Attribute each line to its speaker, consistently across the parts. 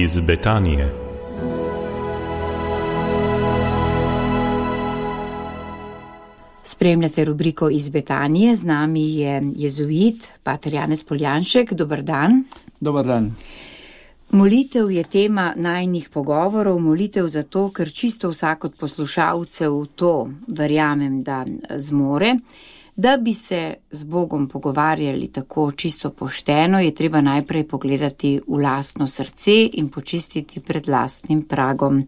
Speaker 1: iz Betanije.
Speaker 2: Spremljate rubriko Iz Betanije, z nami je jezuit, pater Janez Poljanšek. Dober dan.
Speaker 3: Dober dan.
Speaker 2: Molitev je tema najinih pogovorov, molitev zato, ker čisto vsak od poslušalcev to, verjamem, da zmore. Da bi se z Bogom pogovarjali tako čisto pošteno, je treba najprej pogledati v lastno srce in počistiti pred lastnim pragom.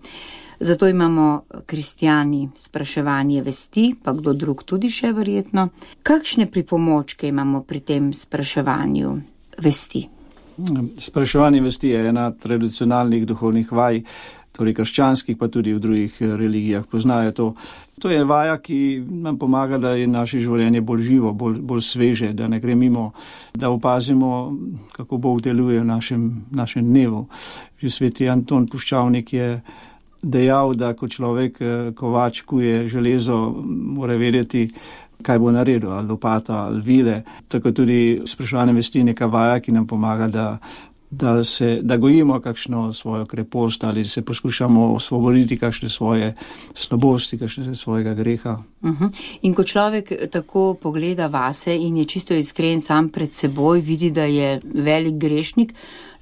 Speaker 2: Zato imamo kristjani spraševanje vesti, pa kdo drug tudi še verjetno. Kakšne pripomočke imamo pri tem spraševanju vesti?
Speaker 3: Spraševanje vesti je ena tradicionalnih duhovnih vaj, torej krščanskih, pa tudi v drugih religijah poznajo to. To je vaja, ki nam pomaga, da je naše življenje bolj živo, bolj sveže, da ne gre mimo, da opazimo, kako Bog deluje v našem dnevu. Že sveti Anton Puščavnik je dejal, da ko človek kovač kuje železo, mora vedeti, kaj bo naredil, ali lopata, ali vile. Tako tudi spraševanje vesti neka vaja, ki nam pomaga, da gojimo kakšno svojo krepost ali se poskušamo osvoboditi kakšne svoje slabosti, kakšne svojega greha.
Speaker 2: In ko človek tako pogleda vase in je čisto iskren sam pred seboj, vidi, da je velik grešnik,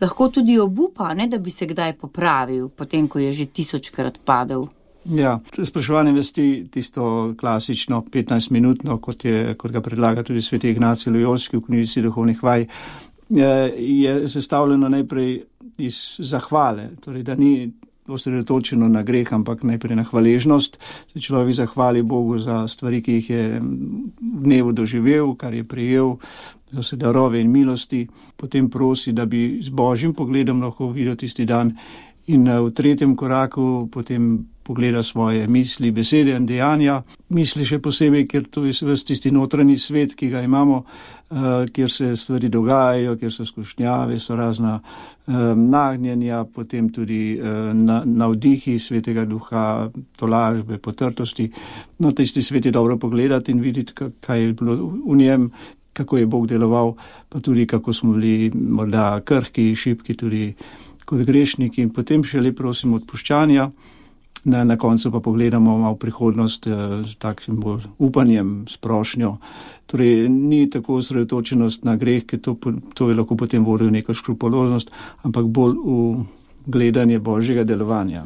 Speaker 2: lahko tudi obupa, ne, da bi se kdaj popravil, potem ko je že 1000-krat padel.
Speaker 3: Ja, spraševanje vesti, tisto klasično 15-minutno, kot ga predlaga tudi sveti Ignacij Lojolski v knjižici duhovnih vaj, je sestavljeno najprej iz zahvale, torej da ni osredotočeno na greh, ampak najprej na hvaležnost. Se človek zahvali Bogu za stvari, ki jih je v dnevu doživel, kar je prejel, za vse darove in milosti. Potem prosi, da bi z Božjim pogledom lahko videl tisti dan. In v tretjem koraku potem pogleda svoje misli, besede in dejanja. Misli še posebej, ker to je tisti notranji svet, ki ga imamo, kjer se stvari dogajajo, kjer so skušnjave, so razna nagnjenja, potem tudi navdihi svetega duha, tolažbe, potrtosti. No, tisti svet je dobro pogledati in videti, kaj je bilo v njem, kako je Bog deloval, pa tudi kako smo bili morda krhki, šibki tudi kot grešniki, in potem šele prosimo odpuščanja. Na koncu pa pogledamo malo prihodnost z takšnim bolj upanjem, s prošnjo. Torej, ni tako osredotočenost na greh, ker to je lahko potem vodilo neko škrupuloznost, ampak bolj v gledanje Božjega delovanja.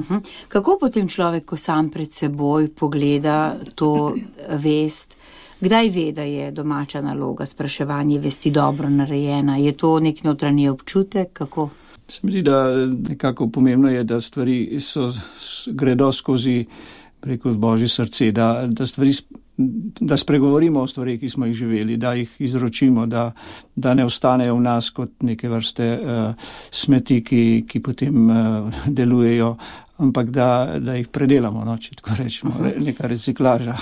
Speaker 2: Kako potem človek, ko sam pred seboj pogleda to vest, kdaj ve, da je domača naloga spraševanje vesti dobro narejena? Je to nek notranji občutek? Kako?
Speaker 3: Se mi zdi, da nekako pomembno je, da stvari gredo skozi preko Božje srce, da spregovorimo o stvarih, ki smo jih živeli, da jih izročimo, da ne ostanejo v nas kot neke vrste smeti, ki potem delujejo, ampak da jih predelamo, no, če tako rečemo, neka reciklaža.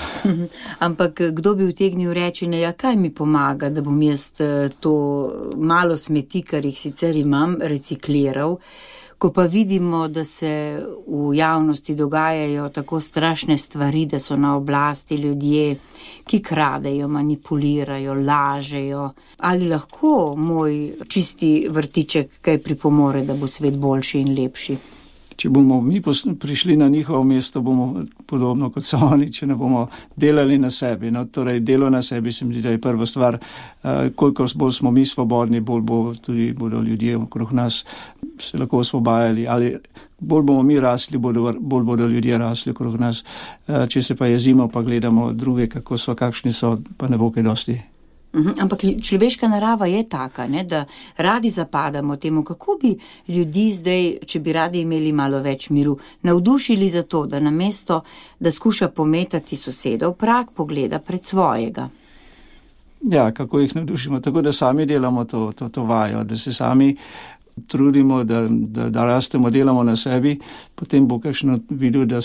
Speaker 2: Ampak kdo bi utegnil reči, kaj mi pomaga, da bom jaz to malo smeti, kar jih sicer imam, recikliral, ko pa vidimo, da se v javnosti dogajajo tako strašne stvari, da so na oblasti ljudje, ki kradejo, manipulirajo, lažejo. Ali lahko moj čisti vrtiček kaj pripomore, da bo svet boljši in lepši?
Speaker 3: Če bomo mi prišli na njihovo mesto, bomo podobno kot so oni, če ne bomo delali na sebi. No, torej, delo na sebi se mi zdi, da je prva stvar. Kolikor bolj smo mi svobodni, bolj bodo ljudje okrog nas se lahko osvobajali. Ali bolj bomo mi rasli, bolj bodo ljudje rasli okrog nas. Če se pa jezimo, pa gledamo druge, kako so, kakšni so, pa ne bo kaj dosti.
Speaker 2: Ampak človeška narava je taka, ne, da radi zapadamo temu, kako bi ljudi zdaj, če bi radi imeli malo več miru, navdušili za to, da namesto, da skuša pometati sosedov prag, pogleda pred svojega.
Speaker 3: Ja, kako jih navdušimo, tako da sami delamo to vajo, da se sami trudimo, da rastemo, delamo na sebi, potem bo kakšno videl, da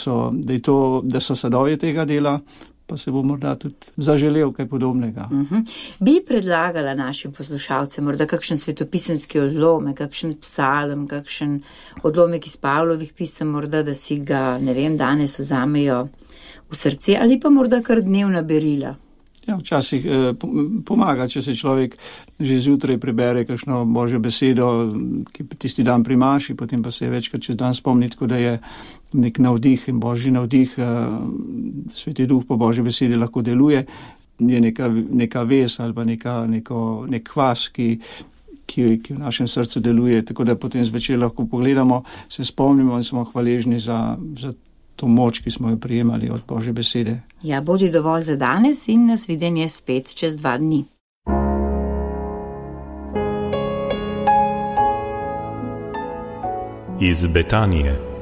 Speaker 3: so sadovje tega dela, pa se bo morda tudi zaželel kaj podobnega.
Speaker 2: Bi predlagala našim poslušalcem morda kakšen svetopisemski odlomek, kakšen psalm, kakšen odlomek iz Pavlovih pisem, morda, da si ga, ne vem, danes vzamejo v srce, ali pa morda kar dnevna berila?
Speaker 3: Ja, včasih pomaga, če se človek že zjutraj prebere kakšno božjo besedo, ki tisti dan primaši, potem pa se je večkrat čez dan spomni, tako da je nek navdih in božji navdih, Sveti Duh po božji besedi lahko deluje, je neka vez ali pa nek kvas, ki v našem srcu deluje, tako da potem zvečer lahko pogledamo, se spomnimo in smo hvaležni za to moč, ki smo jo prijemali od božje besede.
Speaker 2: Ja, bodi dovolj za danes in nas videnje spet čez 2 dni.
Speaker 1: Iz Betanije.